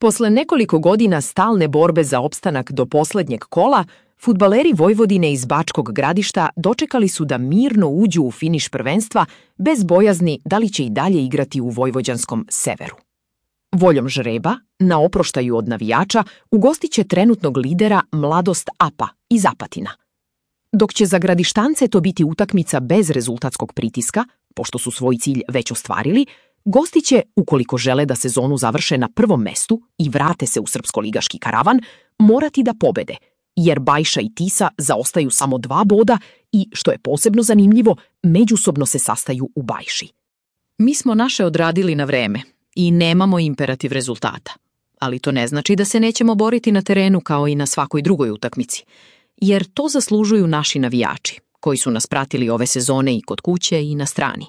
Posle nekoliko godina stalne borbe za opstanak do poslednjeg kola, fudbaleri Vojvodine iz Bačkog Gradišta dočekali su da mirno uđu u finiš prvenstva bez bojazni da li će i dalje igrati u vojvođanskom Severu. Voljom žreba, na oproštaju od navijača, ugostiće trenutnog lidera Mladost APA iz Apatina. Dok će za Gradištance to biti utakmica bez rezultatskog pritiska, pošto su svoj cilj već ostvarili, gosti će, ukoliko žele da sezonu završe na prvom mestu i vrate se u srpsko-ligaški karavan, morati da pobede, jer Bajša i Tisa zaostaju samo 2 boda i, što je posebno zanimljivo, međusobno se sastaju u Bajši. Mi smo naše odradili na vreme i nemamo imperativ rezultata, ali to ne znači da se nećemo boriti na terenu kao i na svakoj drugoj utakmici, jer to zaslužuju naši navijači, koji su nas pratili ove sezone i kod kuće i na strani.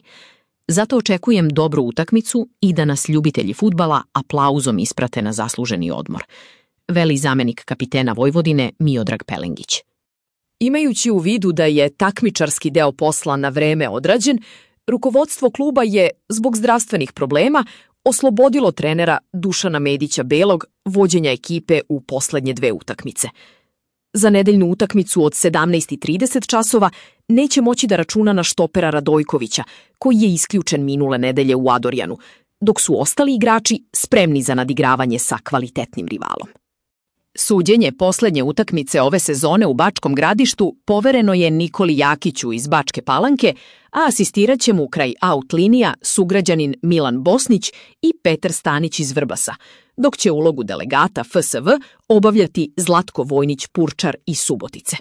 Zato očekujem dobru utakmicu i da nas ljubitelji fudbala aplauzom isprate na zasluženi odmor, veli zamenik kapitena Vojvodine Miodrag Pelengić. Imajući u vidu da je takmičarski deo posla na vreme odrađen, rukovodstvo kluba je, zbog zdravstvenih problema, oslobodilo trenera Dušana Medića Belog vođenja ekipe u poslednje 2 utakmice. Za nedeljnu utakmicu od 17:30 časova neće moći da računa na štopera Radojkovića, koji je isključen minule nedelje u Adorjanu, dok su ostali igrači spremni za nadigravanje sa kvalitetnim rivalom. Suđenje poslednje utakmice ove sezone u Bačkom Gradištu povereno je Nikoli Jakiću iz Bačke Palanke, a asistirat će mu kraj out linija sugrađanin Milan Bosnić i Petar Stanić iz Vrbasa, dok će ulogu delegata FSV obavljati Zlatko Vojnić-Purčar iz Subotice.